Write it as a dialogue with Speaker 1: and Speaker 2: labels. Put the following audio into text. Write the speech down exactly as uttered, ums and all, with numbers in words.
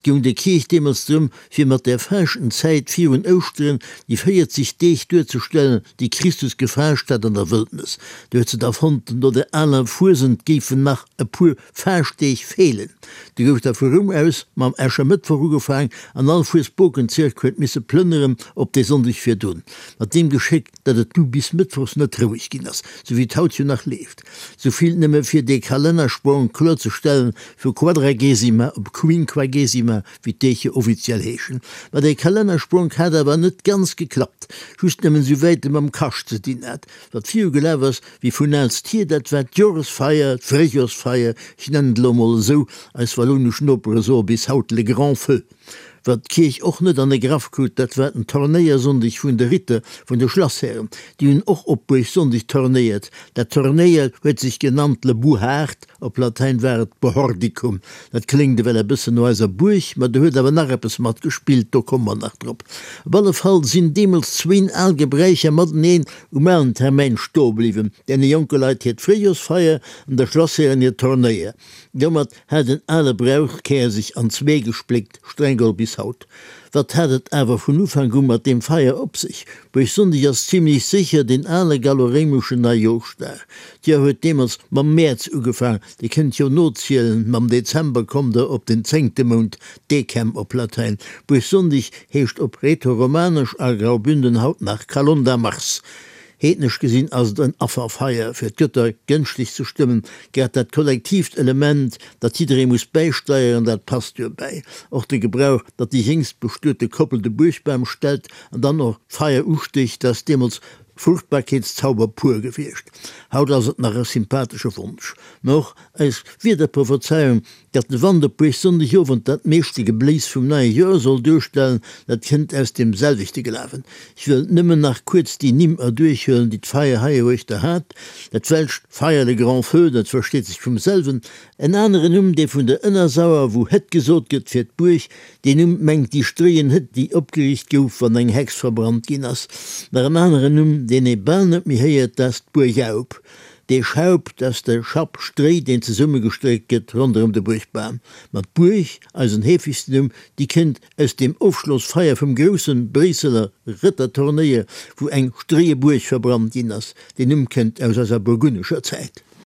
Speaker 1: Goung der Kierch deemools drëm, fir mat der Faaschtenzäit virun Ouschteren déi véierzeg Deeg duerzestellen, déi Christus gefaascht hat an der Wëldnes. Du huet se da fonnt, no der aler Fuesent géifen nach e puer Faaschtdeeg feelen. Du gouf da vu Roum aus mam Äschermëttwoch ugefaang an all Fuesbokenzirk huet misse plënneren op dee Sonndeg virdrun. Mat deem Geschéck, datt et du bis mëttwochs net roueg ginn ass, sou wéi et haut jo nach leeft. Souvill nëmme fir dee Kalennersprong kloerzestellen, vu Quadragesima op Quinquagesima, wéi d'Deeg jo offiziell heeschen. Ma dee Kalennerspronk hat awer net ganz geklappt, just nëmmen souwäit e mam Kascht ze dinn hat. Wat viru gelaf ass wéi vun aalst hier, dat war d'Joresfeier, d'Fréijorsfeier, ech nennen et elo emol esou, eis wallounesch Nopere soe bis haut le grand feu. Wat d'Kierch och net an de Graff krut, dat war den Turnéiersonndeg vun de Ritter, vun de Schlasshären. Déi hunn och op Buergsonndeg turnéiert. Dat Turnéier huet sech genannt le Bouhard, op Latäin war et Bohordicum. Dat kléngt ewell e bëssen no eiser Buerg, ma do huet awer nach eppes mat gespillt, do komme mer nach drop. Op alle Fall sinn deemools zwéin al Gebräicher mateneen um alen Termäin stoe bliwwen, deene jonke Leit hiert Fréijorsfeier an de Schlasshären hiert Turnéier. Domat hat en ale Brauchkär sech an zwee gespléckt, streng geholl bis haut. Wat hat et awer vun Ufank u mat deem Feier op sech? Buergsonndeg ass zimlech sécher deen ale gallo-réimeschen Neijooschdag. D'Joer huet deemools mam Mäerz ugefaang, Dir kënnt jo nozielen, mam Dezember kommt Der op den zéngte Mount, Decem op Latäin. Buergsonndeg heescht op Rätoromanesch a Graubünden haut nach Calonda Mars. Heednesch gesinn ass et en Afferfeier, fir d'Gëtter gënschteg ze stëmmen. Grad dat kollektiivt Element, datt jidderee muss bäisteieren, dat passt duerbäi. Och de Gebrauch, datt déi jéngst bestuete Koppel de Buergbam stellt an dann och d'Feier ustécht, dat ass deemools Fruchtbarkeetszauber pur gewiescht. Haut ass et nach e sympathesche Wonsch. Mä och eis Wiederprophezeiung, datt de Wand op Buergsonndegowend dat meeschte Gebléis vum neie Joer soll duerstellen, dat kënnt aus deem selwechte Glawen. Ech wëll nëmmen nach kuerz déi Nimm erduerchhuelen, déi d'Feier heieruechter hat, Dat welscht Feier, le grand feu, dat versteet sech vum selwen. En aneren Numm, dee vun der Ënnersauer, wou Hëtt gesot gëtt fir d'Buerg, deen Numm mengt déi stréien Hëtt, déi opgeriicht gouf, wann eng Hex verbrannt ginn ass. Nach en aneren Numm, deen ee bal net méi héiert, dat ass d'Buergaup. Dee Schaup, dat ass de Schapp Stréi, deen zesummegestréckt gëtt ronderëm de Buergbam. Ma d'Buerg, eisen heefegsten Numm, déi kënnt aus deem Ofschlossfeier vum grousse Bréisseler Rëtterturnéier, wou eng stréie Buerg verbrannt ginn ass. Deen Numm kënnt aus eiser burgunnescher Zäit.